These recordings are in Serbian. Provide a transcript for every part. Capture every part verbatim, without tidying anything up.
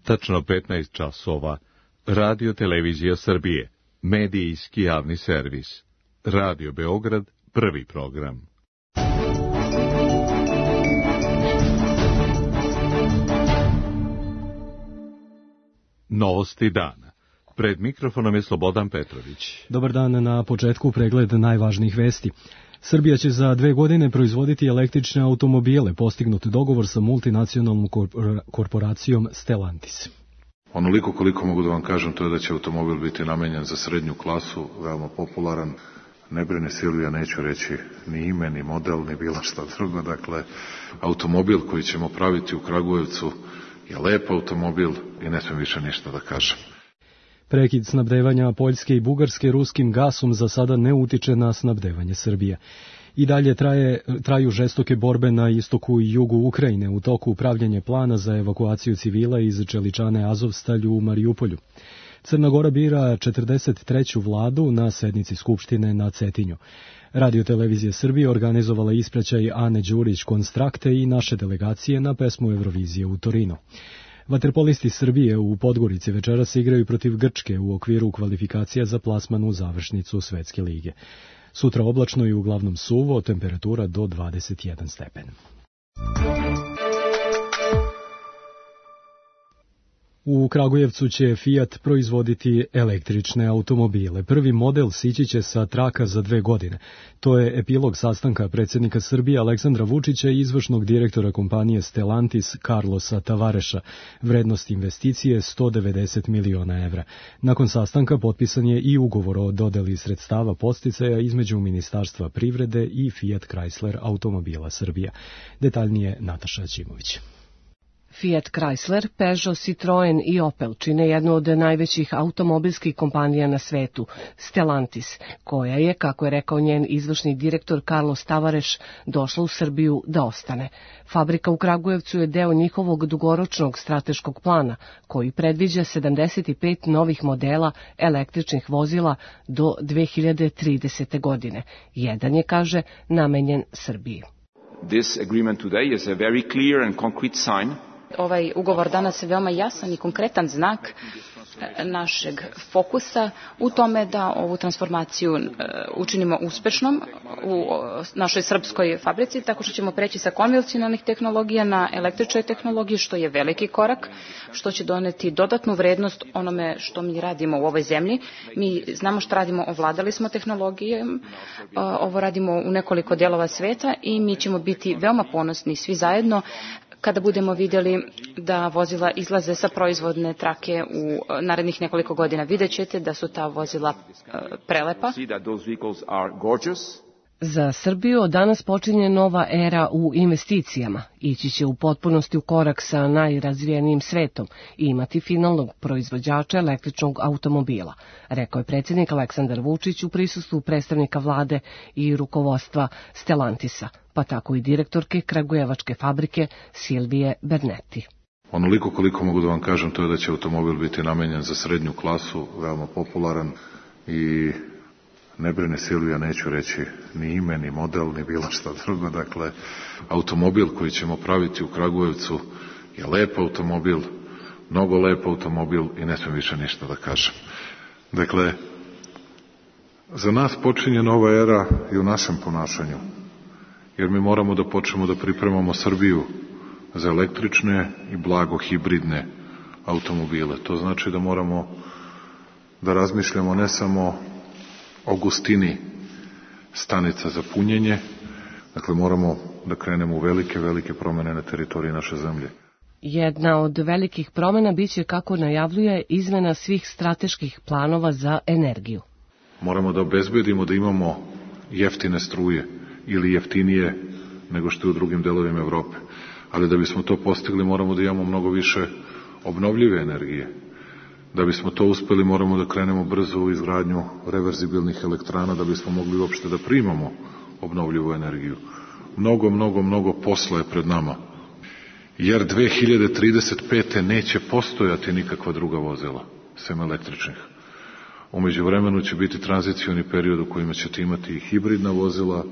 Tačno petnaest časova. Radio Televizija Srbije. Medijski javni servis. Radio Beograd, prvi program. Novosti dana. Pred mikrofonom je Slobodan Petrović. Dobar dan, na početku pregled najvažnijih vesti. Srbija će za dve godine proizvoditi električne automobile, postignut dogovor sa multinacionalnom korporacijom Stellantis. Onoliko koliko mogu da vam kažem, to je da će automobil biti namenjen za srednju klasu, veoma popularan. Ne brine Silvija, neću reći ni ime, ni model, ni bilo šta drugo. Dakle, automobil koji ćemo praviti u Kragujevcu je lep automobil i ne smijem više ništa da kažem. Prekid snabdevanja Poljske i Bugarske ruskim gasom za sada ne utiče na snabdevanje Srbije. I dalje traje, traju žestoke borbe na istoku i jugu Ukrajine u toku pravljenja plana za evakuaciju civila iz čeličane Azovstalj u Marijupolju. Crna Gora bira četrdeset treću vladu na sednici Skupštine na Cetinju. Radio Televizija Srbije organizovala ispraćaj Ane Đurić Konstrakte i naše delegacije na pesmu Eurovizije u Torinu. Vaterpolisti Srbije u Podgorici večeras igraju protiv Grčke u okviru kvalifikacija za plasman u završnicu Svetske lige. Sutra oblačno i uglavnom suvo, temperatura do dvadeset jedan stepen. U Kragujevcu će Fiat proizvoditi električne automobile. Prvi model sići će sa traka za dve godine. To je epilog sastanka predsjednika Srbije Aleksandra Vučića i izvršnog direktora kompanije Stellantis Carlosa Tavareša. Vrednost investicije sto devedeset miliona evra. Nakon sastanka potpisan je i ugovor o dodeli sredstava podsticaja između Ministarstva privrede i Fiat Chrysler automobila Srbija. Detaljnije Nataša Ćimović. Fiat Chrysler, Peugeot, Citroen i Opel čine jednu od najvećih automobilskih kompanija na svetu, Stellantis, koja je, kako je rekao njen izvršni direktor Carlos Tavares, došla u Srbiju da ostane. Fabrika u Kragujevcu je deo njihovog dugoročnog strateškog plana, koji predviđa sedamdeset pet novih modela električnih vozila do dve hiljade tridesete. godine. Jedan je, kaže, namenjen Srbiji. This agreement today is a very clear and concrete sign. Ovaj ugovor danas je veoma jasan i konkretan znak našeg fokusa u tome da ovu transformaciju učinimo uspešnom u našoj srpskoj fabrici, tako što ćemo preći sa konvencionalnih tehnologija na električne tehnologije, što je veliki korak, što će doneti dodatnu vrednost onome što mi radimo u ovoj zemlji. Mi znamo što radimo, ovladali smo tehnologijom, ovo radimo u nekoliko delova sveta i mi ćemo biti veoma ponosni svi zajedno kada budemo vidjeli da vozila izlaze sa proizvodne trake u narednih nekoliko godina. Vidjet ćete da su ta vozila prelepa. Za Srbiju od danas počinje nova era u investicijama. Ići će u potpunosti u korak sa najrazvijenijim svetom i imati finalnog proizvođača električnog automobila, rekao je predsjednik Aleksandar Vučić u prisustvu predstavnika vlade i rukovodstva Stellantisa, pa tako i direktorke kragujevačke fabrike Silvije Bernetti. Onoliko koliko mogu da vam kažem, to je da će automobil biti namenjen za srednju klasu, veoma popularan i ne brine Silvija, neću reći ni ime, ni model, ni bilo šta drugo. Dakle, automobil koji ćemo praviti u Kragujevcu je lep automobil, mnogo lep automobil i ne smijem više ništa da kažem. Dakle, za nas počinje nova era i u našem ponašanju, jer mi moramo da počnemo da pripremamo Srbiju za električne i blago hibridne automobile. To znači da moramo da razmišljamo ne samo o gustini stanica za punjenje, dakle moramo da krenemo u velike, velike promene na teritoriji naše zemlje. Jedna od velikih promena biće, kako najavljuje, izmena svih strateških planova za energiju. Moramo da obezbedimo da imamo jeftine struje ili jeftinije nego što je u drugim delovima Evrope. Ali da bismo to postigli moramo da imamo mnogo više obnovljive energije. Da bismo to uspeli moramo da krenemo brzo u izgradnju reverzibilnih elektrana da bismo mogli uopšte da primamo obnovljivu energiju. Mnogo, mnogo, mnogo posla je pred nama. Jer dve hiljade trideset pete. neće postojati nikakva druga vozila, sem električnih. U međuvremenu će biti tranzicioni period u kojima ćete imati i hibridna vozila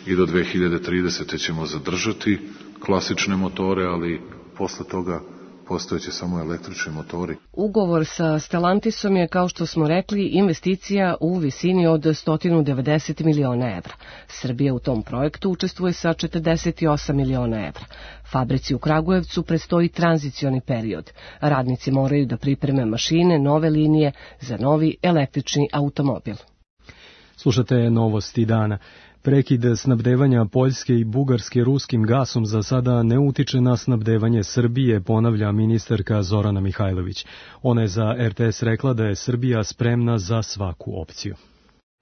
i do dve hiljade tridesete. ćemo zadržati klasične motore, ali posle toga postojeće samo električni motori. Ugovor sa Stellantisom je, kao što smo rekli, investicija u visini od sto devedeset miliona evra. Srbija u tom projektu učestvuje sa četrdeset osam miliona evra. Fabrici u Kragujevcu predstoji tranzicioni period. Radnici moraju da pripreme mašine, nove linije za novi električni automobil. Slušate novosti dana. Prekid snabdevanja Poljske i Bugarske ruskim gasom za sada ne utiče na snabdevanje Srbije, ponavlja ministarka Zorana Mihajlović. Ona je za er te es rekla da je Srbija spremna za svaku opciju.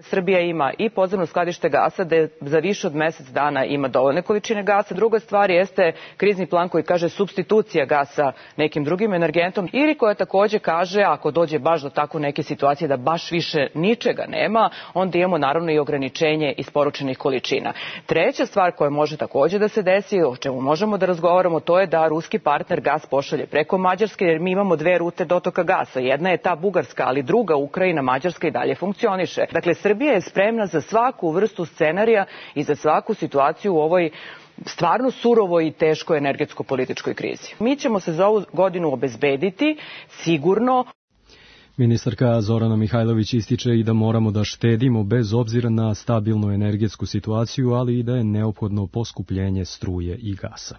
Srbija ima i podzemno skladište gasa, da za više od mesec dana ima dovoljne količine gasa. Druga stvar jeste krizni plan koji kaže supstitucija gasa nekim drugim energentom, ili koja takođe kaže, ako dođe baš do tako neke situacije da baš više ničega nema, onda imamo naravno i ograničenje isporučenih količina. Treća stvar koja može takođe da se desi, o čemu možemo da razgovaramo, to je da ruski partner gas pošalje preko Mađarske, jer mi imamo dve rute dotoka gasa. Jedna je ta bugarska, ali druga, Ukrajina, Mađarska, i dalje funkcioniše. Dakle, Srbija je spremna za svaku vrstu scenarija i za svaku situaciju u ovoj stvarno surovoj i teškoj energetsko-političkoj krizi. Mi ćemo se za ovu godinu obezbediti sigurno. Ministarka Zorana Mihajlović ističe i da moramo da štedimo bez obzira na stabilnu energetsku situaciju, ali i da je neophodno poskupljenje struje i gasa.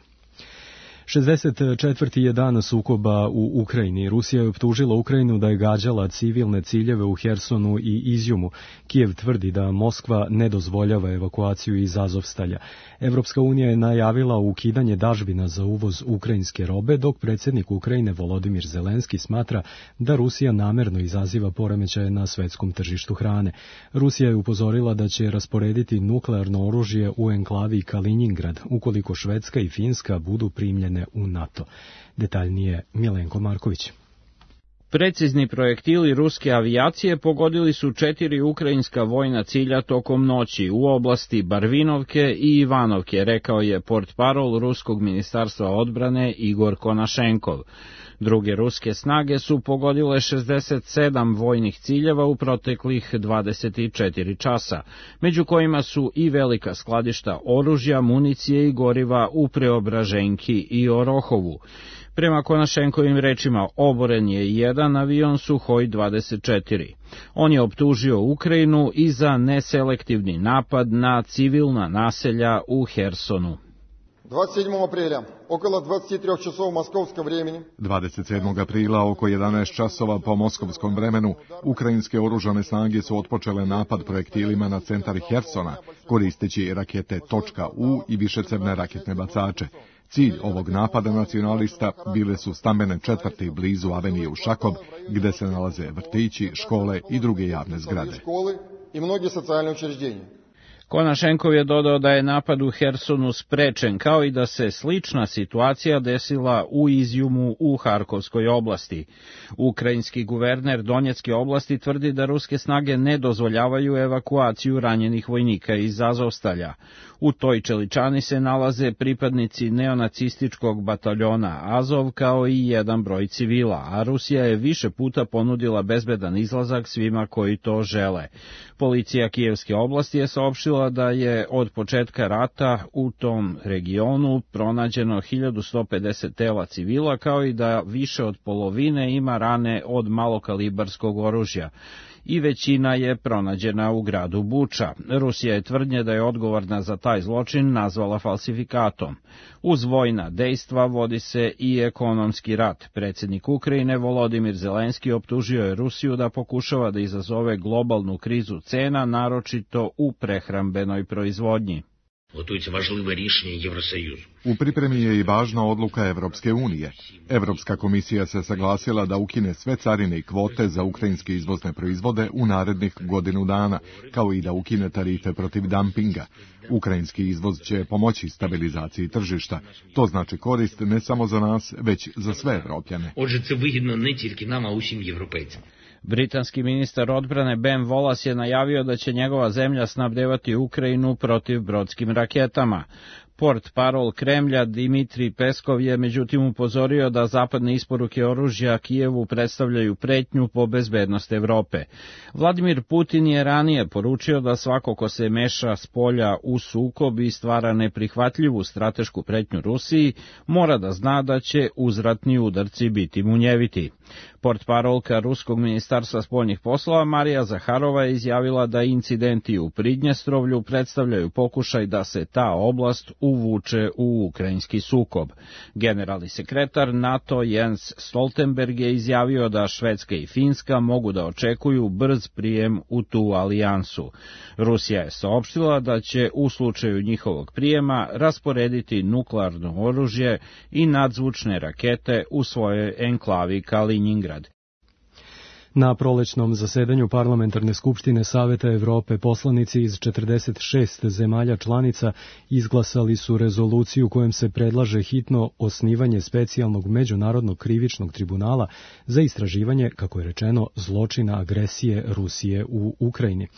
šezdeset četvrti je dan sukoba u Ukrajini. Rusija je optužila Ukrajinu da je gađala civilne ciljeve u Hersonu i Izjumu. Kijev tvrdi da Moskva ne dozvoljava evakuaciju iz Azovstalja. Evropska unija je najavila ukidanje dažbina za uvoz ukrajinske robe, dok predsjednik Ukrajine Volodimir Zelenski smatra da Rusija namerno izaziva poremećaje na svetskom tržištu hrane. Rusija je upozorila da će rasporediti nuklearno oružje u enklavi Kaliningrad ukoliko Švedska i Finska budu primljene u NATO. Detaljnije Milenko Marković. Precizni projektili ruske avijacije pogodili su četiri ukrajinska vojna cilja tokom noći u oblasti Barvinovke i Ivanovke, rekao je portparol Ruskog ministarstva odbrane Igor Konašenkov. Druge ruske snage su pogodile šezdeset sedam vojnih ciljeva u proteklih dvadeset četiri časa, među kojima su i velika skladišta oružja, municije i goriva u Preobraženki i Orohovu. Prema Konašenkovim rečima, oboren je jedan avion Suhoj dvadeset četiri. On je optužio Ukrajinu i za neselektivni napad na civilna naselja u Hersonu. dvadeset sedmog aprila, okolo dvadeset tri časova moskovskog vremena. dvadeset sedmog aprila oko jedanaest časova po moskovskom vremenu, ukrajinske oružane snage su otpočele napad projektilima na centar Hersona, koristeći rakete .U i višecevne raketne bacače. Cilj ovog napada nacionalista bile su stambene četvrti blizu avenije Ušakov, gde se nalaze vrtići, škole i druge javne zgrade. Konašenkov je dodao da je napad u Hersonu sprečen, kao i da se slična situacija desila u Izjumu u Harkovskoj oblasti. Ukrajinski guverner Donjecke oblasti tvrdi da ruske snage ne dozvoljavaju evakuaciju ranjenih vojnika iz Azovstalja. U toj čeličani se nalaze pripadnici neonacističkog bataljona Azov kao i jedan broj civila, a Rusija je više puta ponudila bezbedan izlazak svima koji to žele. Policija Kijevske oblasti je saopštila da je od početka rata u tom regionu pronađeno hiljadu sto pedeset tela civila, kao i da više od polovine ima rane od malokalibarskog oružja i većina je pronađena u gradu Buča. Rusija je tvrdnje da je odgovorna za taj zločin nazvala falsifikatom. Uz vojna dejstva vodi se i ekonomski rat. Predsjednik Ukrajine Volodimir Zelenski optužio je Rusiju da pokušava da izazove globalnu krizu cena, naročito u prehrambenoj proizvodnji. U pripremi je i važna odluka Evropske unije. Evropska komisija se saglasila da ukine sve carine i kvote za ukrajinske izvozne proizvode u narednih godinu dana, kao i da ukine tarife protiv dampinga. Ukrajinski izvoz će pomoći stabilizaciji tržišta. To znači korist ne samo za nas, već za sve Evropljane. Britanski ministar odbrane Ben Wallace je najavio da će njegova zemlja snabdevati Ukrajinu protivbrodskim raketama. Port parol Kremlja Dimitrij Peskov je međutim upozorio da zapadne isporuke oružja Kijevu predstavljaju pretnju po bezbednost Evrope. Vladimir Putin je ranije poručio da svako ko se meša s polja u sukob i stvara neprihvatljivu stratešku pretnju Rusiji, mora da zna da će uzvratni udarci biti munjeviti. Portparolka Ruskog ministarstva spoljnih poslova Marija Zaharova je izjavila da incidenti u Pridnjestrovlju predstavljaju pokušaj da se ta oblast uvuče u ukrajinski sukob. Generalni sekretar NATO Jens Stoltenberg je izjavio da Švedska i Finska mogu da očekuju brz prijem u tu alijansu. Rusija je saopštila da će u slučaju njihovog prijema rasporediti nuklearno oružje i nadzvučne rakete u svojoj enklavi Kaliningrad. Na prolećnom zasedanju Parlamentarne skupštine Saveta Evrope poslanici iz četrdeset šest zemalja članica izglasali su rezoluciju kojom se predlaže hitno osnivanje specijalnog međunarodnog krivičnog tribunala za istraživanje, kako je rečeno, zločina agresije Rusije u Ukrajini.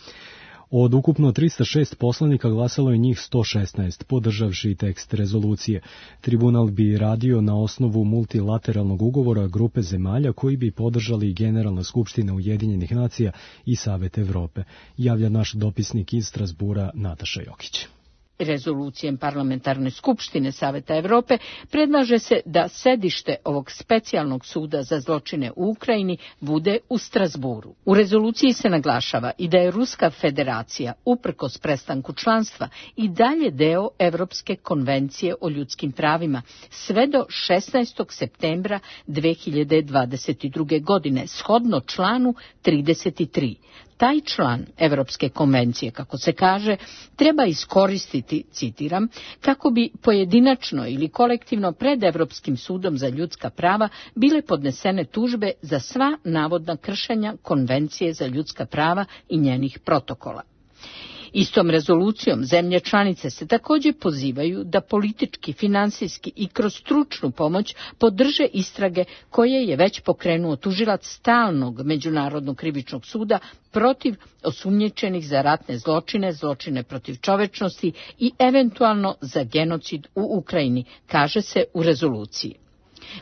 Od ukupno trista šest poslanika glasalo je njih sto šesnaest, podržavši tekst rezolucije. Tribunal bi radio na osnovu multilateralnog ugovora grupe zemalja koji bi podržali Generalna skupština Ujedinjenih nacija i Savet Evrope, javlja naš dopisnik iz Strasbura Nataša Jokić. Rezolucijem Parlamentarne skupštine Saveta Evrope predlaže se da sedište ovog specijalnog suda za zločine u Ukrajini bude u Strasburu. U rezoluciji se naglašava i da je Ruska federacija, uprkos prestanku članstva, i dalje deo Evropske konvencije o ljudskim pravima sve do šesnaestog septembra dve hiljade dvadeset druge. godine, shodno članu trideset tri. Taj član Evropske konvencije, kako se kaže, treba iskoristiti, citiram, kako bi pojedinačno ili kolektivno pred Evropskim sudom za ljudska prava bile podnesene tužbe za sva navodna kršenja Konvencije za ljudska prava i njenih protokola. Istom rezolucijom zemlje članice se također pozivaju da politički, finansijski i kroz stručnu pomoć podrže istrage koje je već pokrenuo tužilac stalnog Međunarodnog krivičnog suda protiv osumnjičenih za ratne zločine, zločine protiv čovečnosti i eventualno za genocid u Ukrajini, kaže se u rezoluciji.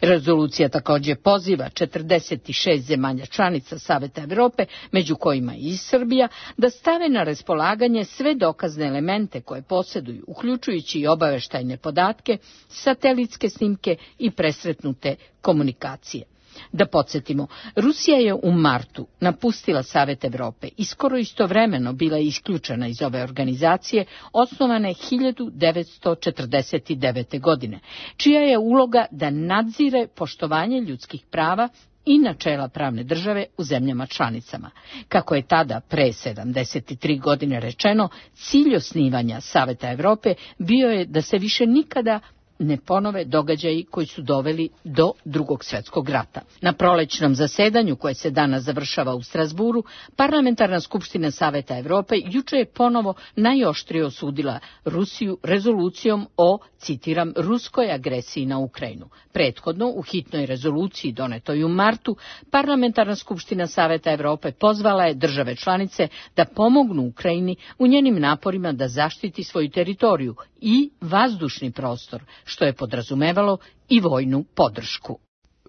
Rezolucija također poziva četrdeset šest zemalja članica Saveta Evrope, među kojima i Srbija, da stave na raspolaganje sve dokazne elemente koje posjeduju, uključujući i obaveštajne podatke, satelitske snimke i presretnute komunikacije. Da podsjetimo, Rusija je u martu napustila Savet Evrope i skoro istovremeno bila isključena iz ove organizacije, osnovane hiljadu devetsto četrdeset devete. godine, čija je uloga da nadzire poštovanje ljudskih prava i načela pravne države u zemljama članicama. Kako je tada, pre sedamdeset tri godine rečeno, cilj osnivanja Saveta Evrope bio je da se više nikada ne ponove događaji koji su doveli do Drugog svjetskog rata. Na prolećnom zasedanju, koje se danas završava u Strasburu, Parlamentarna skupština Saveta Evrope juče je ponovo najoštrije osudila Rusiju rezolucijom o, citiram, ruskoj agresiji na Ukrajinu. Prethodno, u hitnoj rezoluciji donetoj u martu, Parlamentarna skupština Saveta Evrope pozvala je države članice da pomognu Ukrajini u njenim naporima da zaštiti svoju teritoriju i vazdušni prostor, što je podrazumevalo i vojnu podršku.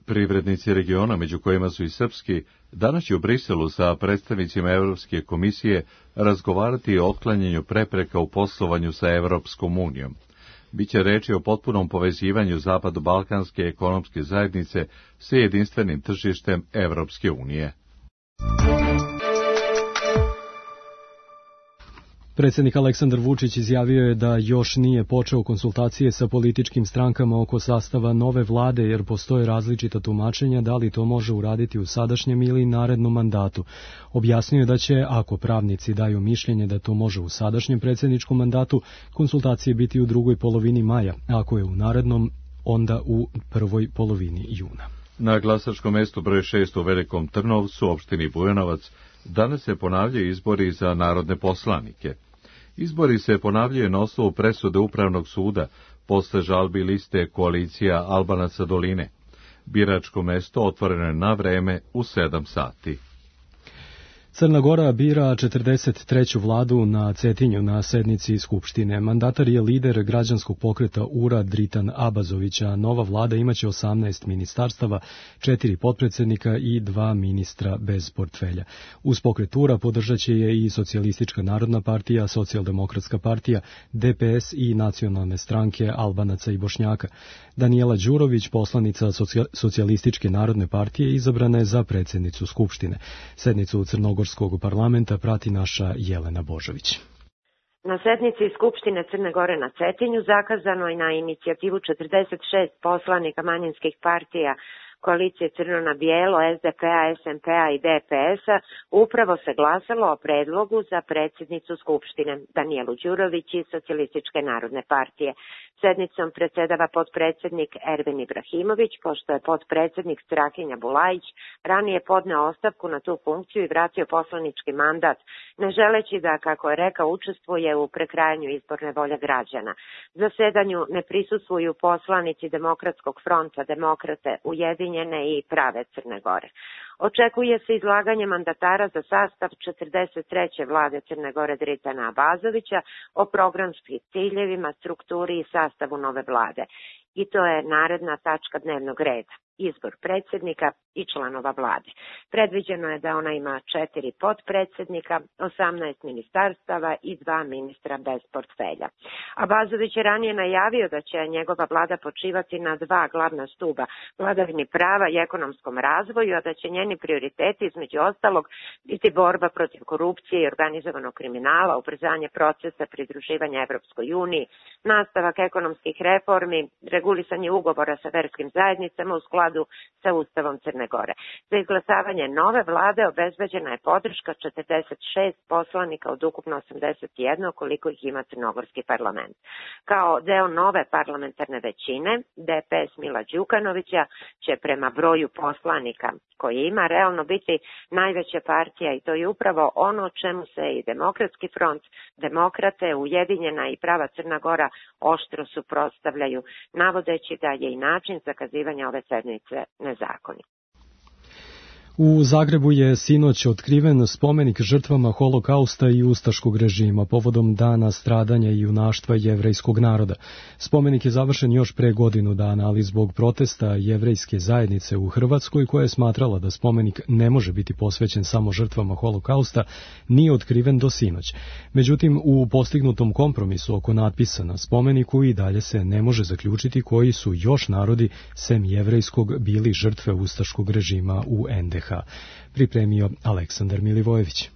Privrednici regiona, među kojima su i srpski, danas će u Briselu sa predstavnicima Evropske komisije razgovarati o otklanjanju prepreka u poslovanju sa Evropskom unijom. Biće reči o potpunom povezivanju Zapadno-Balkanske ekonomske zajednice sa jedinstvenim tržištem Evropske unije. Predsjednik Aleksandar Vučić izjavio je da još nije počeo konsultacije sa političkim strankama oko sastava nove vlade, jer postoje različita tumačenja da li to može uraditi u sadašnjem ili narednom mandatu. Objasnio je da će, ako pravnici daju mišljenje da to može u sadašnjem predsjedničkom mandatu, konsultacije biti u drugoj polovini maja, ako je u narednom, onda u prvoj polovini juna. Na glasačkom mestu broj šest u Velikom Trnovcu, opštini Bujanovac, danas se ponavljaju izbori za narodne poslanike. Izbori se ponavljaju na osnovu presude Upravnog suda posle žalbi liste koalicija Albanaca Doline. Biračko mesto otvoreno je na vreme u sedam sati. Crna Gora bira četrdeset treću vladu na Cetinju na sednici Skupštine. Mandatar je lider građanskog pokreta U R A Dritan Abazovića. Nova vlada imaće osamnaest ministarstava, četiri potpredsednika i dva ministra bez portfelja. Uz pokret U R A podržaće je i Socijalistička narodna partija, Socijaldemokratska partija, D P S i nacionalne stranke Albanaca i Bošnjaka. Danijela Đurović, poslanica Socijalističke narodne partije, izabrana je za predsjednicu Skupštine. Sednicu Crnogorskog parlamenta prati naša Jelena Božović. Na sednici Skupštine Crne Gore na Cetinju, zakazano je na inicijativu četrdeset šest poslanika manjinskih partija koalicije Crno na bijelo, S D P-a, S M P-a i D P S-a, upravo se glasalo o predlogu za predsjednicu Skupštine Danijelu Đurović iz Socijalističke narodne partije. Sednicom predsjedava potpredsjednik Ervin Ibrahimović, pošto je potpredsjednik Strahinja Bulajić ranije podneo ostavku na tu funkciju i vratio poslanički mandat, ne želeći da, kako je rekao, učestvuje u prekrajanju izborne volje građana. Zasedanju ne prisustvuju poslanici Demokratskog fronta, Demokrate, Ujedinjene i Prave Crne Gore. Očekuje se izlaganje mandatara za sastav četrdeset treće vlade Crne Gore Dritana Abazovića o programskim ciljevima, strukturi i sastavu nove vlade. I to je naredna tačka dnevnog reda, izbor predsjednika i članova vlade. Predviđeno je da ona ima četiri potpredsjednika, osamnaest ministarstava i dva ministra bez portfelja. Abazović je ranije najavio da će njegova vlada počivati na dva glavna stuba, vladavini prava i ekonomskom razvoju, a da će njeni prioriteti između ostalog biti borba protiv korupcije i organizovanog kriminala, ubrzanje procesa pridruživanja Evropskoj uniji, nastavak ekonomskih reformi, regulisanje ugovora sa verskim zajednicama u skladu sa Ustavom Crne Gore. Za izglasavanje nove vlade obezbeđena je podrška četrdeset šest poslanika od ukupno osamdeset jedan, koliko ih ima crnogorski parlament. Kao deo nove parlamentarne većine, D P S Mila Đukanovića će prema broju poslanika koji ima realno biti najveća partija, i to je upravo ono o čemu se i Demokratski front, Demokrate, Ujedinjena i Prava Crna Gora oštro suprotstavljaju, navodeći da je i način zakazivanja ove sednice nezakonit. U Zagrebu je sinoć otkriven spomenik žrtvama Holokausta i ustaškog režima povodom dana stradanja i junaštva jevrejskog naroda. Spomenik je završen još pre godinu dana, ali zbog protesta jevrejske zajednice u Hrvatskoj, koja je smatrala da spomenik ne može biti posvećen samo žrtvama Holokausta, nije otkriven do sinoć. Međutim, u postignutom kompromisu oko natpisa na spomeniku i dalje se ne može zaključiti koji su još narodi sem jevrejskog bili žrtve ustaškog režima u en de ha. Pripremio Aleksandar Milivojević.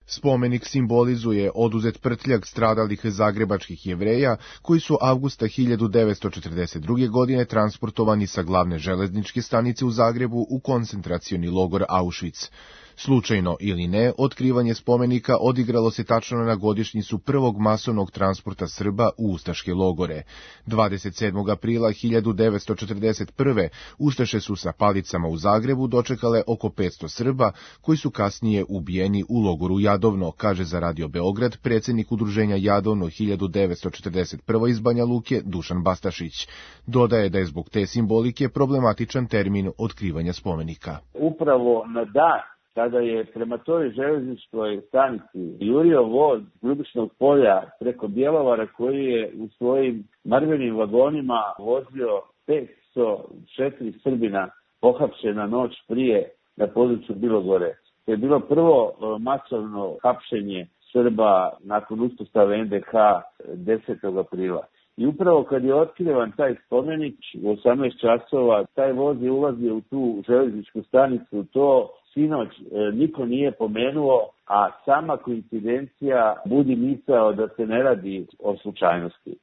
Spomenik simbolizuje oduzet prtljag stradalih zagrebačkih Jevreja koji su avgusta hiljadu devetsto četrdeset druge. godine transportovani sa glavne železničke stanice u Zagrebu u koncentracioni logor Auschwitz. Slučajno ili ne, otkrivanje spomenika odigralo se tačno na godišnjicu prvog masovnog transporta Srba u ustaške logore. dvadeset sedmog aprila hiljadu devetsto četrdeset prve. Ustaše su sa palicama u Zagrebu dočekale oko petsto Srba, koji su kasnije ubijeni u logoru Jadovno, kaže za Radio Beograd predsjednik udruženja Jadovno hiljadu devetsto četrdeset prve. iz Banja Luke Dušan Bastašić. Dodaje da je zbog te simbolike problematičan termin otkrivanja spomenika. Upravo na dan kada je prema toj železničkoj stanici jurio voz Ljubičnog polja preko Bjelovara, koji je u svojim marvenim vagonima vozio petsto četiri Srbina pohapšena noć prije na području Bilogore. To je bilo prvo masovno hapšenje Srba nakon uspostave en de ha desetog aprila. I upravo kad je otkrivan taj spomenik u osamnaest časova, taj voz je ulazio u tu železničku stanicu, to sinoć niko nije pomenuo, a sama koincidencija budi misao da se ne radi o slučajnosti.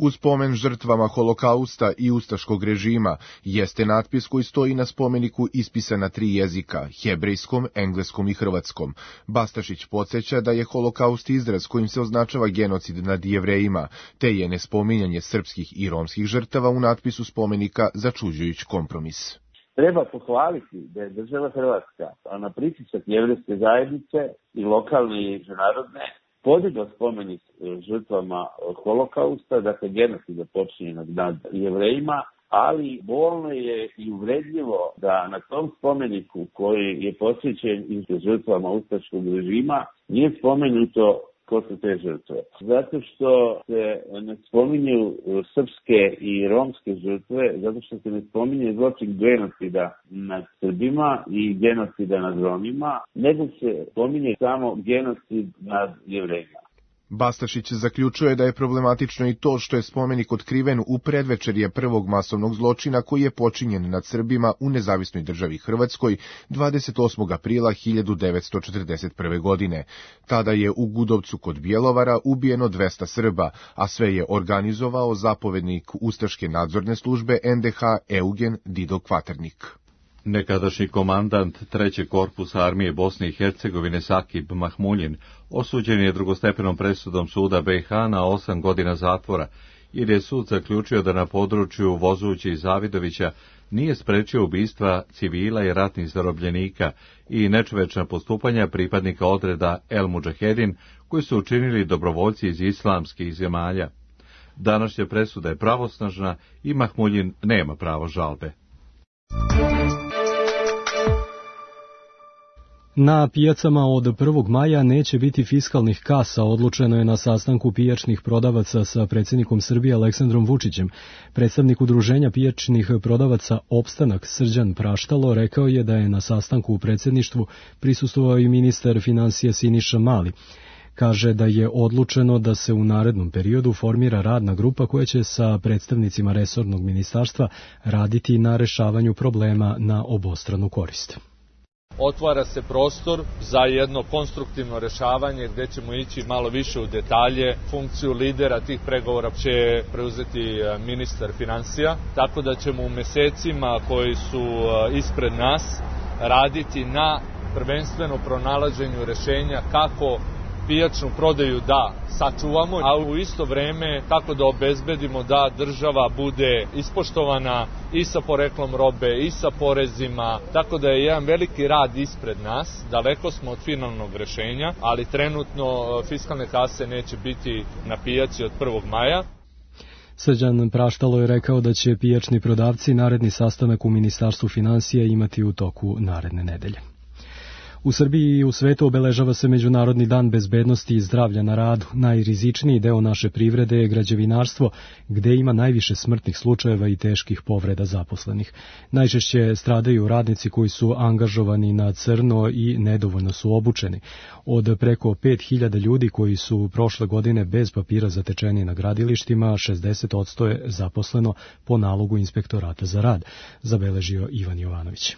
U spomen žrtvama Holokausta i ustaškog režima jeste natpis koji stoji na spomeniku ispisan na tri jezika, hebrejskom, engleskom i hrvatskom. Bastašić podsjeća da je Holokaust izraz kojim se označava genocid nad Jevrejima, te je nespominjanje srpskih i romskih žrtava u natpisu spomenika začuđujuć kompromis. Treba pohvaliti da je država Hrvatska, a na pritisak jevrejske zajednice i lokalne i međunarodne, podigla spomenik žrtvama Holokausta, dakle genocida počinjenog nad Jevrejima, ali bolno je i uvredljivo da na tom spomeniku koji je posvećen i žrtvama ustaškog režima nije spomenuto ko su te žrtve. Zato što se ne spominju srpske i romske žrtve, zato što se ne spominje zločin genocida nad Srbima i genocida nad Romima, nego se spominje samo genocid nad Jevrejima. Bastašić zaključuje da je problematično i to što je spomenik otkriven u predvečerje prvog masovnog zločina koji je počinjen nad Srbima u nezavisnoj državi Hrvatskoj dvadeset osmog aprila hiljadu devetsto četrdeset prve. godine. Tada je u Gudovcu kod Bjelovara ubijeno dvesta Srba, a sve je organizovao zapovednik Ustaške nadzorne službe en de ha Eugen Dido Kvaternik. Nekadašnji komandant trećeg korpusa armije Bosne i Hercegovine Sakib Mahmuljin osuđen je drugostepenom presudom suda be i ha na osam godina zatvora, jer je sud zaključio da na području Vozući i Zavidovića nije sprečio ubistva civila i ratnih zarobljenika i nečovečna postupanja pripadnika odreda El Mudžahedin koji su učinili dobrovoljci iz islamskih zemalja. Današnja presuda je pravosnažna i Mahmuljin nema pravo žalbe. Na pijacama od prvog maja neće biti fiskalnih kasa, odlučeno je na sastanku pijačnih prodavaca sa predsjednikom Srbije Aleksandrom Vučićem. Predstavnik udruženja pijačnih prodavaca Opstanak Srđan Praštalo rekao je da je na sastanku u predsjedništvu prisustvovao i ministar financija Siniša Mali. Kaže da je odlučeno da se u narednom periodu formira radna grupa koja će sa predstavnicima resornog ministarstva raditi na rešavanju problema na obostranu korist. Otvara se prostor za jedno konstruktivno rešavanje gdje ćemo ići malo više u detalje. Funkciju lidera tih pregovora će preuzeti ministar financija, tako da ćemo u mesecima koji su ispred nas raditi na prvenstveno pronalaženju rešenja kako pijačnu prodaju da sačuvamo, a u isto vreme kako da obezbedimo da država bude ispoštovana i sa poreklom robe i sa porezima, tako da je jedan veliki rad ispred nas, daleko smo od finalnog rešenja, ali trenutno fiskalne kase neće biti na pijaci od prvog maja. Srđan Praštalo je rekao da će pijačni prodavci naredni sastanak u Ministarstvu financija imati u toku naredne nedelje. U Srbiji i u svetu obeležava se Međunarodni dan bezbednosti i zdravlja na radu. Najrizičniji deo naše privrede je građevinarstvo, gde ima najviše smrtnih slučajeva i teških povreda zaposlenih. Najčešće stradaju radnici koji su angažovani na crno i nedovoljno su obučeni. Od preko pet hiljada ljudi koji su prošle godine bez papira zatečeni na gradilištima, šezdeset posto je zaposleno po nalogu Inspektorata za rad, zabeležio Ivan Jovanović.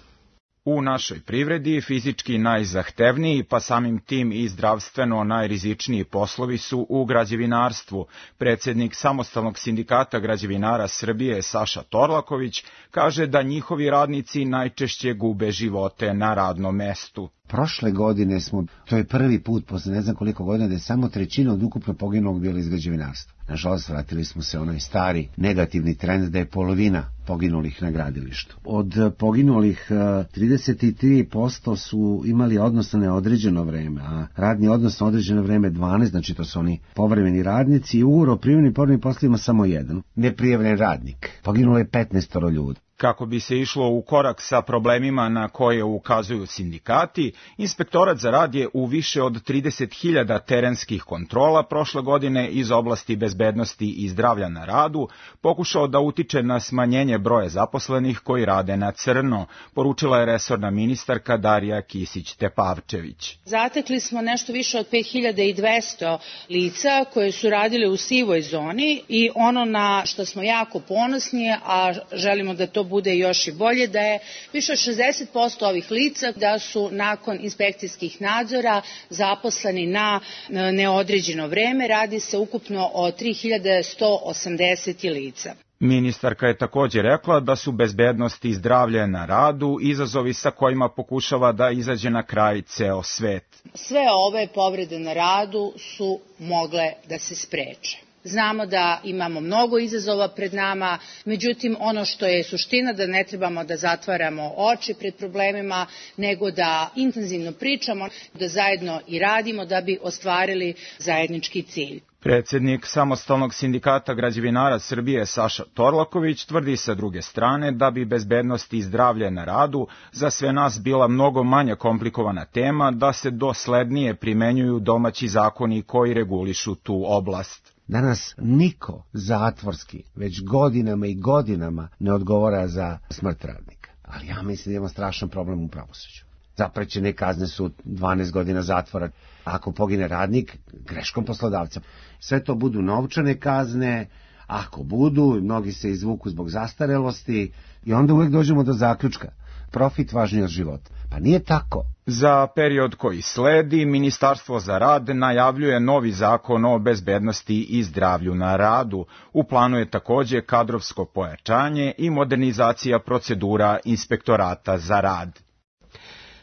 U našoj privredi fizički najzahtevniji, pa samim tim i zdravstveno najrizičniji poslovi su u građevinarstvu. Predsjednik Samostalnog sindikata građevinara Srbije Saša Torlaković kaže da njihovi radnici najčešće gube živote na radnom mestu. Prošle godine smo, to je prvi put posle ne znam koliko godina, da je samo trećina od ukupno poginulog bila iz građevinarstva. Nažalost, vratili smo se onaj stari negativni trend da je polovina poginulih na gradilištu. Od poginulih trideset tri posto su imali odnos na neodređeno vreme, a radni odnos na određeno vreme dvanaest, znači to su oni povremeni radnici, i ugovor o privremenim i povremenim poslovima samo jedan, neprijavljen radnik. Poginulo je petnaest ljudi. Kako bi se išlo u korak sa problemima na koje ukazuju sindikati, Inspektorat za rad je u više od trideset hiljada terenskih kontrola prošle godine iz oblasti bezbednosti i zdravlja na radu pokušao da utiče na smanjenje broja zaposlenih koji rade na crno, poručila je resorna ministarka Darija Kisić-Tepavčević. Zatekli smo nešto više od pet hiljada dvesta lica koje su radile u sivoj zoni i ono na što smo jako ponosni, a želimo da to bude još i bolje, da je više od šezdeset posto ovih lica da su nakon inspekcijskih nadzora zaposleni na neodređeno vreme. Radi se ukupno o tri hiljade sto osamdeset lica. Ministarka je također rekla da su bezbednost i zdravlje na radu izazovi sa kojima pokušava da izađe na kraj ceo svet. Sve ove povrede na radu su mogle da se spreče. Znamo da imamo mnogo izazova pred nama, međutim ono što je suština da ne trebamo da zatvaramo oči pred problemima, nego da intenzivno pričamo, da zajedno i radimo da bi ostvarili zajednički cilj. Predsjednik Samostalnog sindikata građevinara Srbije Saša Torlaković tvrdi sa druge strane da bi bezbednost i zdravlje na radu za sve nas bila mnogo manje komplikovana tema da se doslednije primenjuju domaći zakoni koji regulišu tu oblast. Danas niko zatvorski već godinama i godinama ne odgovara za smrt radnika. Ali ja mislim da imamo strašan problem u pravosuđu. Zaprećene kazne su dvanaest godina zatvora. Ako pogine radnik, greškom poslodavca. Sve to budu novčane kazne, ako budu, mnogi se izvuku zbog zastarelosti i onda uvek dođemo do zaključka. Profit važniji od života. Pa nije tako. Za period koji sledi, Ministarstvo za rad najavljuje novi zakon o bezbednosti i zdravlju na radu. U planu je takođe kadrovsko pojačanje i modernizacija procedura Inspektorata za rad.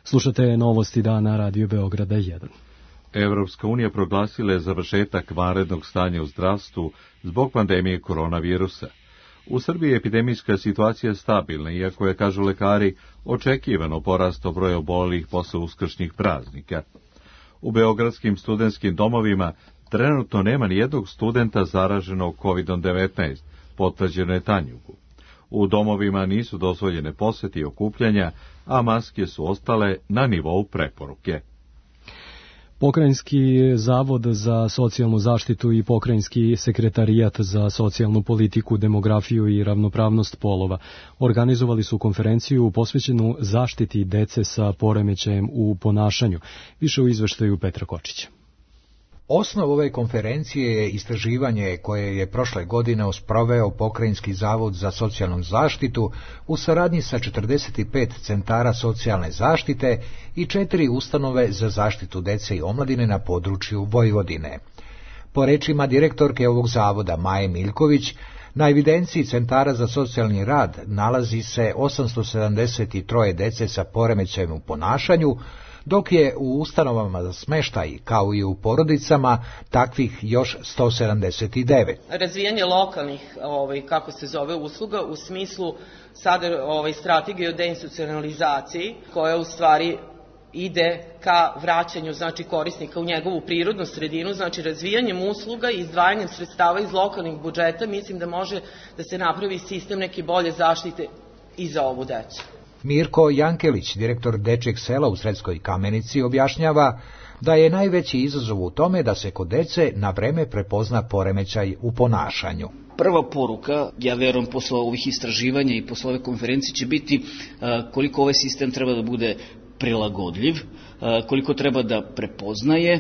Slušate novosti dana Radio Beograda jedan. Evropska unija proglasila je završetak vanrednog stanja u zdravstvu zbog pandemije koronavirusa. U Srbiji je epidemijska situacija stabilna, iako je, kažu lekari, očekivano porasto broj obolelih posle uskršnjih praznika. U beogradskim studentskim domovima trenutno nema ni jednog studenta zaraženog kovid devetnaest, potvrđeno je Tanjugu. U domovima nisu dozvoljene posete i okupljanja, a maske su ostale na nivou preporuke. Pokrajinski zavod za socijalnu zaštitu i Pokrajinski sekretarijat za socijalnu politiku, demografiju i ravnopravnost polova organizovali su konferenciju posvećenu zaštiti dece sa poremećajem u ponašanju. Više u izveštaju Petra Kočića. Osnov ove konferencije je istraživanje koje je prošle godine sproveo Pokrajinski zavod za socijalnu zaštitu u saradnji sa četrdeset pet centara socijalne zaštite i četiri ustanove za zaštitu dece i omladine na području Vojvodine. Po rečima direktorke ovog zavoda Maje Miljković, na evidenciji centara za socijalni rad nalazi se osamsto sedamdeset tri dece sa poremećajem u ponašanju, dok je u ustanovama za smeštaj, kao i u porodicama, takvih još sto sedamdeset devet. Razvijanje lokalnih, ovaj, kako se zove, usluga u smislu sada ovaj, strategije o deinstitucionalizaciji, koja u stvari ide ka vraćanju, znači, korisnika u njegovu prirodnu sredinu, znači razvijanjem usluga i izdvajanjem sredstava iz lokalnih budžeta, mislim da može da se napravi sistem neke bolje zaštite i za ovu decu. Mirko Jankelić, direktor Dečjeg sela u Sredskoj Kamenici, objašnjava da je najveći izazov u tome da se kod dece na vreme prepozna poremećaj u ponašanju. Prva poruka, ja verujem posle ovih istraživanja i posle ove konferencije, će biti koliko ovaj sistem treba da bude prilagodljiv, koliko treba da prepoznaje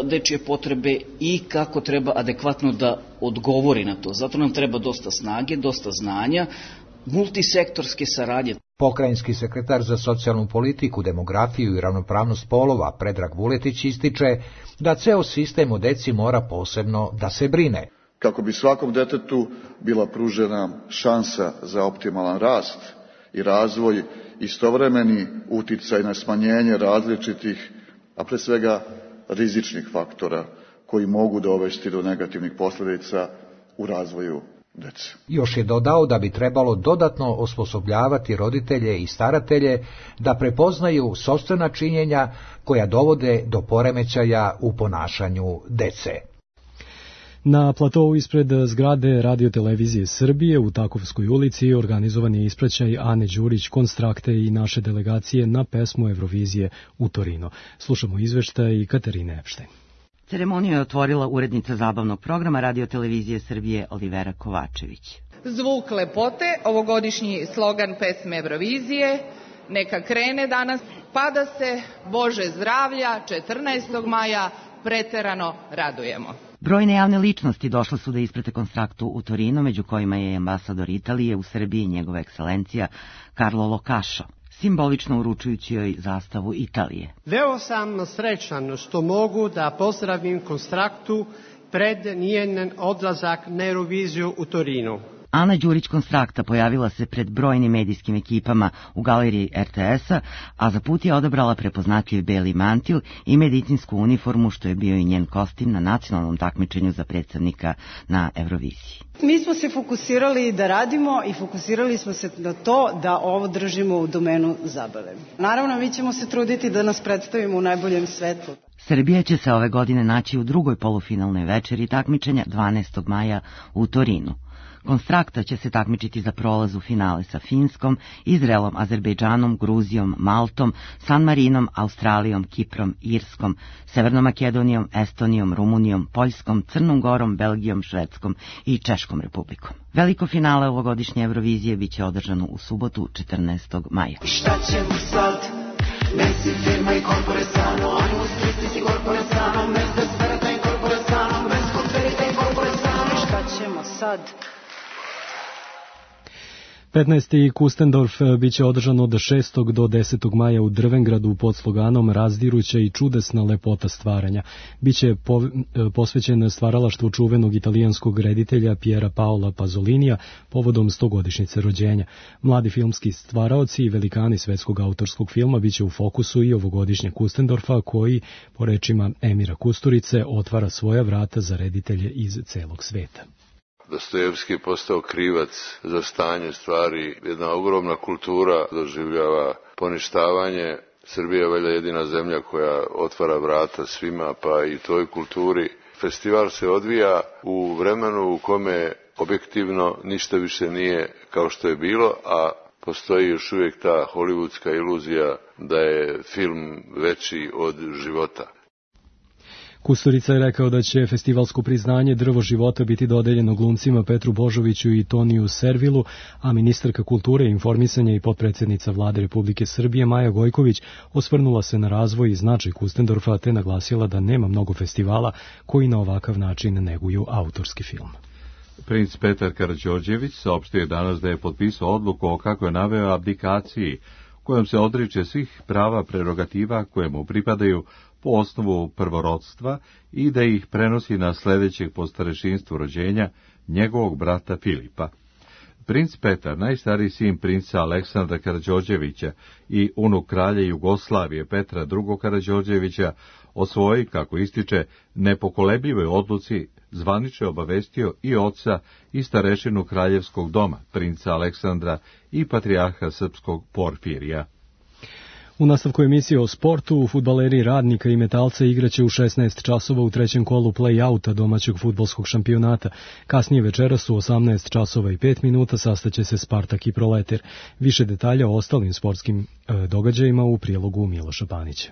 dečije potrebe i kako treba adekvatno da odgovori na to. Zato nam treba dosta snage, dosta znanja, multisektorske saradnje. Pokrajinski sekretar za socijalnu politiku, demografiju i ravnopravnost polova Predrag Vuletić ističe da ceo sistem o deci mora posebno da se brine. Kako bi svakom detetu bila pružena šansa za optimalan rast i razvoj, istovremeni uticaj na smanjenje različitih, a pre svega rizičnih faktora koji mogu dovesti do negativnih posljedica u razvoju dece. Još je dodao da bi trebalo dodatno osposobljavati roditelje i staratelje da prepoznaju sopstvena činjenja koja dovode do poremećaja u ponašanju dece. Na platovu ispred zgrade Radiotelevizije Srbije u Takovskoj ulici organizovan je ispraćaj Ane Đurić, Konstrakte i naše delegacije na pesmu Eurovizije u Torino. Slušamo izveštaj Katarine Epštajn. Ceremoniju je otvorila urednica zabavnog programa Radiotelevizije Srbije Olivera Kovačević. Zvuk lepote, ovogodišnji slogan pesme Eurovizije, neka krene danas, pa da se Bože zdravlja četrnaestog maja preterano radujemo. Brojne javne ličnosti došle su da isprate Konstraktu u Torino, među kojima je ambasador Italije u Srbiji njegova ekscelencija Carlo Locašo, simbolično uručujući joj zastavu Italije. Veo sam srećan što mogu da pozdravim Konstraktu pred njen odlazak na Euroviziju u Torinu. Ana Đurić Konstrakta pojavila se pred brojnim medijskim ekipama u galeriji er te es-a, a za put je odabrala prepoznatljiv beli mantil i medicinsku uniformu, što je bio i njen kostim na nacionalnom takmičenju za predstavnika na Euroviziji. Mi smo se fokusirali da radimo i fokusirali smo se na to da ovo držimo u domenu zabave. Naravno, mi ćemo se truditi da nas predstavimo u najboljem svetlu. Srbija će se ove godine naći u drugoj polufinalnoj večeri takmičenja dvanaestog maja u Torinu. Konstrakta će se takmičiti za prolaz u finale sa Finskom, Izraelom, Azerbejdžanom, Gruzijom, Maltom, San Marinom, Australijom, Kiprom, Irskom, Severnom Makedonijom, Estonijom, Rumunijom, Poljskom, Crnom Gorom, Belgijom, Švedskom i Češkom republikom. Veliko finale ovogodišnje Eurovizije biće održano u subotu četrnaestog maja. Šta ćemo sad? Messi firma i corpore sano, animus tristis i corpore sano, mes desperata i corpore sano, mes conferita i corpore sano. Šta ćemo sad? petnaesti Kustendorf biće održan od šestog do desetog maja u Drvengradu pod sloganom Razdiruća i čudesna lepota stvaranja. Biće po, posvećen stvaralaštvu čuvenog italijanskog reditelja Piera Paola Pazolinija povodom stogodišnjice rođenja. Mladi filmski stvaraoci i velikani svetskog autorskog filma biće u fokusu i ovogodišnje Kustendorfa, koji, po rečima Emira Kusturice, otvara svoja vrata za reditelje iz celog sveta. Dostojevski je postao krivac za stanje stvari. Jedna ogromna kultura doživljava poništavanje. Srbija je valjda jedina zemlja koja otvara vrata svima, pa i toj kulturi. Festival se odvija u vremenu u kome objektivno ništa više nije kao što je bilo, a postoji još uvijek ta hollywoodska iluzija da je film veći od života. Kusturica je rekao da će festivalsko priznanje Drvo života biti dodeljeno glumcima Petru Božoviću i Toniju Servilu, a ministarka kulture, informisanja i potpredsjednica Vlade Republike Srbije Maja Gojković osvrnula se na razvoj i značaj Kustendorfa te naglasila da nema mnogo festivala koji na ovakav način neguju autorski film. Princ Petar Karađorđević saopštio je danas da je potpisao odluku o kako je naveo abdikaciji, kojom se odriče svih prava prerogativa koje mu pripadaju po osnovu prvorodstva i da ih prenosi na sljedećeg po starešinstvu rođenja njegovog brata Filipa. Princ Petar, najstariji sin princa Aleksandra Karađorđevića i unuk kralja Jugoslavije Petra drugog Karađorđevića, o svojoj, kako ističe, nepokolebljivoj odluci zvanično obavestio i oca i starešinu kraljevskog doma, princa Aleksandra i patrijarha srpskog Porfirija. U nastavku emisije o sportu, fudbaleri Radnika i Metalca igraće u šesnaest časova u trećem kolu play-outa domaćeg fudbalskog šampionata. Kasnije večeras u osamnaest časova i pet minuta sastaće se Spartak i Proleter. Više detalja o ostalim sportskim e, događajima u prilogu Miloša Panića.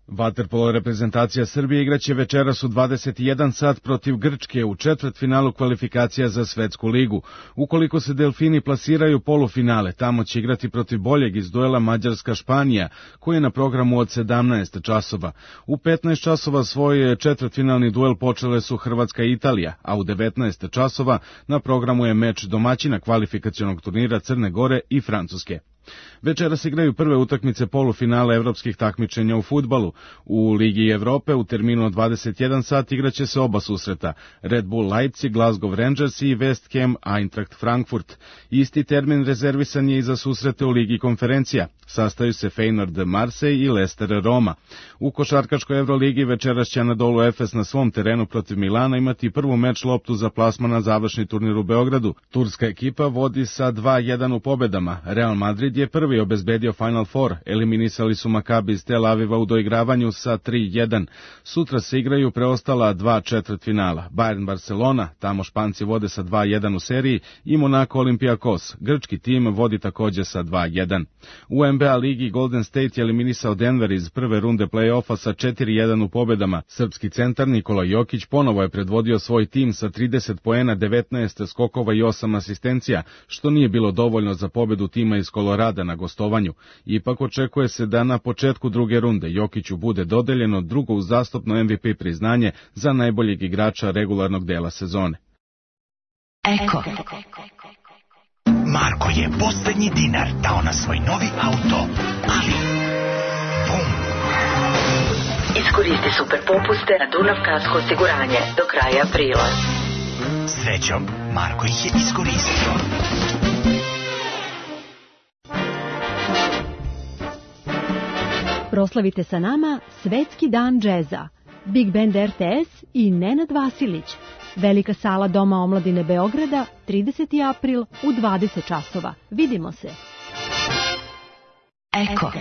Vaterpolo reprezentacija Srbije igraće večeras u dvadeset jedan sat protiv Grčke u četvrtfinalu kvalifikacija za svetsku ligu. Ukoliko se Delfini plasiraju polufinale, tamo će igrati protiv boljeg iz duela Mađarska-Španija, koji je na programu od sedamnaest časova. U petnaest časova svoj četvrtfinalni duel počele su Hrvatska i Italija, a u devetnaest časova na programu je meč domaćina kvalifikacionog turnira Crne Gore i Francuske. Večeras igraju prve utakmice polufinala evropskih takmičenja u fudbalu. U Ligi Evrope u terminu od dvadeset jedan sat igraće se oba susreta: Red Bull Leipzig, Glasgow Rangers i West Ham Eintracht Frankfurt. Isti termin rezervisan je i za susrete u Ligi konferencija. Sastaju se Feyenoord Marseille i Leicester Roma. U košarkaškoj Evroligi večeras će Anadolu Efes na svom terenu protiv Milana imati prvu meč loptu za plasman na završni turnir u Beogradu. Turska ekipa vodi sa dva jedan u pobedama. Real Madrid je prvi obezbedio Final Four. Eliminisali su Makabi iz Tel Aviva u doigravanju sa tri jedan. Sutra se igraju preostala dva četvrtfinala. Bayern Barcelona, tamo Španci vode sa dva jedan u seriji, i Monaco Olympiakos. Grčki tim vodi također sa dva jedan. U N B A ligi Golden State je eliminisao Denver iz prve runde play-offa sa četiri jedan u pobedama. Srpski centar Nikola Jokić ponovo je predvodio svoj tim sa trideset poena, devetnaest skokova i osam asistencija, što nije bilo dovoljno za pobedu tima iz Kolorada na gostovanju. Ipak očekuje se da na početku druge runde Jokiću bude dodeljeno drugo uzastopno M V P priznanje za najboljeg igrača regularnog dela sezone. Eko. Marko je posljednji dinar dao na svoj novi auto, ali bum! Iskoristi super popuste na Dunav Kasko osiguranje do kraja aprila. Srećom, Marko ih je iskoristio. Proslavite sa nama Svetski dan džeza. Big Band R T S i Nenad Vasilić. Velika sala Doma omladine Beograda, trideseti april u dvadeset časova. Vidimo se. Eko.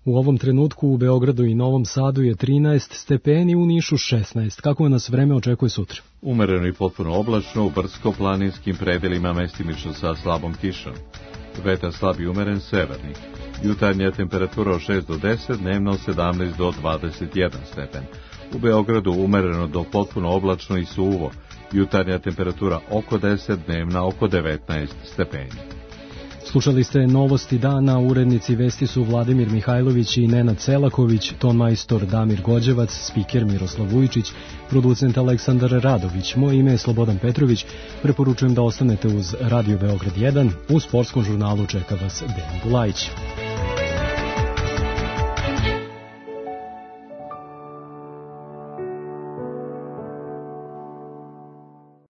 U ovom trenutku u Beogradu i Novom Sadu je trinaest stepeni, u Nišu šesnaest. Kako nas vreme očekuje sutra? Umereno i potpuno oblačno, u brdsko-planinskim predelima mestimično sa slabom kišom. Vetar slab i umeren severni. Jutarnja temperatura od šest do deset, dnevno od sedamnaest do dvadeset jedan stepen. U Beogradu umereno do potpuno oblačno i suvo. Jutarnja temperatura oko deset, dnevna oko devetnaest stepeni. Slušali ste novosti dana, urednici vesti su Vladimir Mihajlović i Nenad Celaković, ton majstor Damir Gođevac, spiker Miroslav Vujičić, producent Aleksandar Radović. Moje ime je Slobodan Petrović, preporučujem da ostanete uz Radio Beograd jedan, u sportskom žurnalu čeka vas Dejan Bulajić.